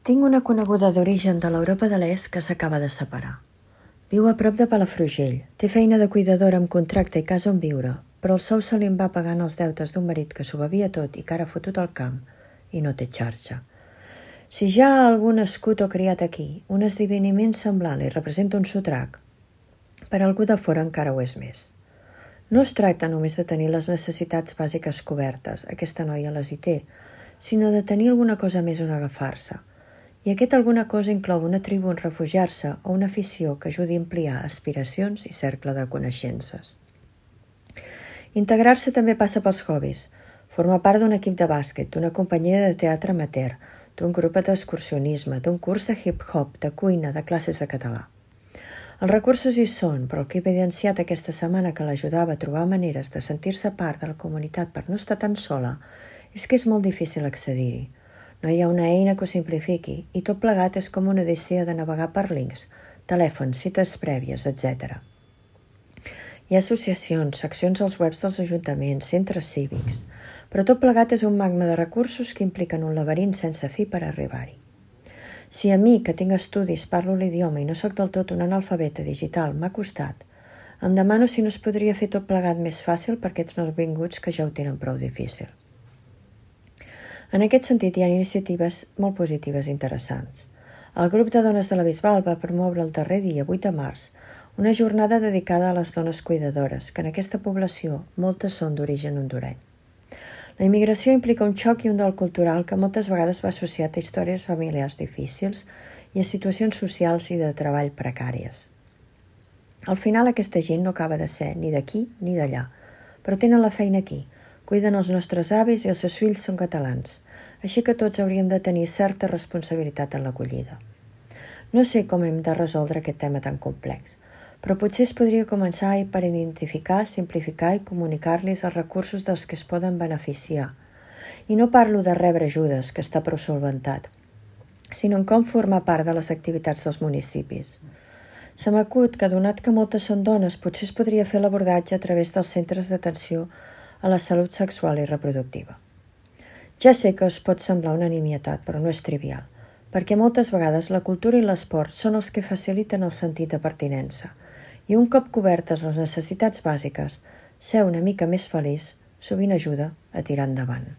Tinc una coneguda d'origen de l'Europa de l'Est que s'acaba de separar. Viu a prop de Palafrugell, té feina de cuidadora amb contracte i casa on viure, però el sou se li en va pagant els deutes d'un marit que s'ho bevia tot i que ara ha fotut al camp i no té xarxa. Si ja algú nascut o criat aquí, un esdeveniment semblant li representa un sotrac, per a algú de fora encara ho és més. No es tracta només de tenir les necessitats bàsiques cobertes, aquesta noia les hi té, sinó de tenir alguna cosa més on agafar-se. I aquest alguna cosa inclou una tribu on refugiar-se o una afició que ajudi a ampliar aspiracions i cercle de coneixences. Integrar-se també passa pels hobbies, formar part d'un equip de bàsquet, d'una companyia de teatre amateur, d'un grup d'excursionisme, d'un curs de hip-hop, de cuina, de classes de català. Els recursos hi són, però el que he evidenciat aquesta setmana que l'ajudava a trobar maneres de sentir-se part de la comunitat per no estar tan sola és que és molt difícil accedir-hi. No hi ha una eina que ho simplifiqui i tot plegat és com una odissea de navegar per links, telèfons, cites prèvies, etc. Hi ha associacions, seccions als webs dels ajuntaments, centres cívics, però tot plegat és un magma de recursos que impliquen un laberint sense fi per arribar-hi. Si a mi, que tinc estudis, parlo l'idioma i no sóc del tot un analfabeta digital, m'ha costat, em demano si no es podria fer tot plegat més fàcil per aquests nouvinguts que ja ho tenen prou difícil. En aquest sentit, hi ha iniciatives molt positives i interessants. El grup de dones de la Bisbal va promoure el darrer dia, 8 de març, una jornada dedicada a les dones cuidadores, que en aquesta població moltes són d'origen hondureny. La immigració implica un xoc i un dol cultural que moltes vegades va associat a històries familiars difícils i a situacions socials i de treball precàries. Al final, aquesta gent no acaba de ser ni d'aquí ni d'allà, però tenen la feina aquí, cuiden els nostres avis i els seus fills són catalans, així que tots hauríem de tenir certa responsabilitat en l'acollida. No sé com hem de resoldre aquest tema tan complex, però potser es podria començar per identificar, simplificar i comunicar-los els recursos dels que es poden beneficiar. I no parlo de rebre ajudes, que està prou solventat, sinó en com formar part de les activitats dels municipis. Se m'acut que, donat que moltes són dones, potser es podria fer l'abordatge a través dels centres d'atenció a la salut sexual i reproductiva. Ja sé que us pot semblar una nimietat, però no és trivial, perquè moltes vegades la cultura i l'esport són els que faciliten el sentit de pertinença, i un cop cobertes les necessitats bàsiques, ser una mica més feliç sovint ajuda a tirar endavant.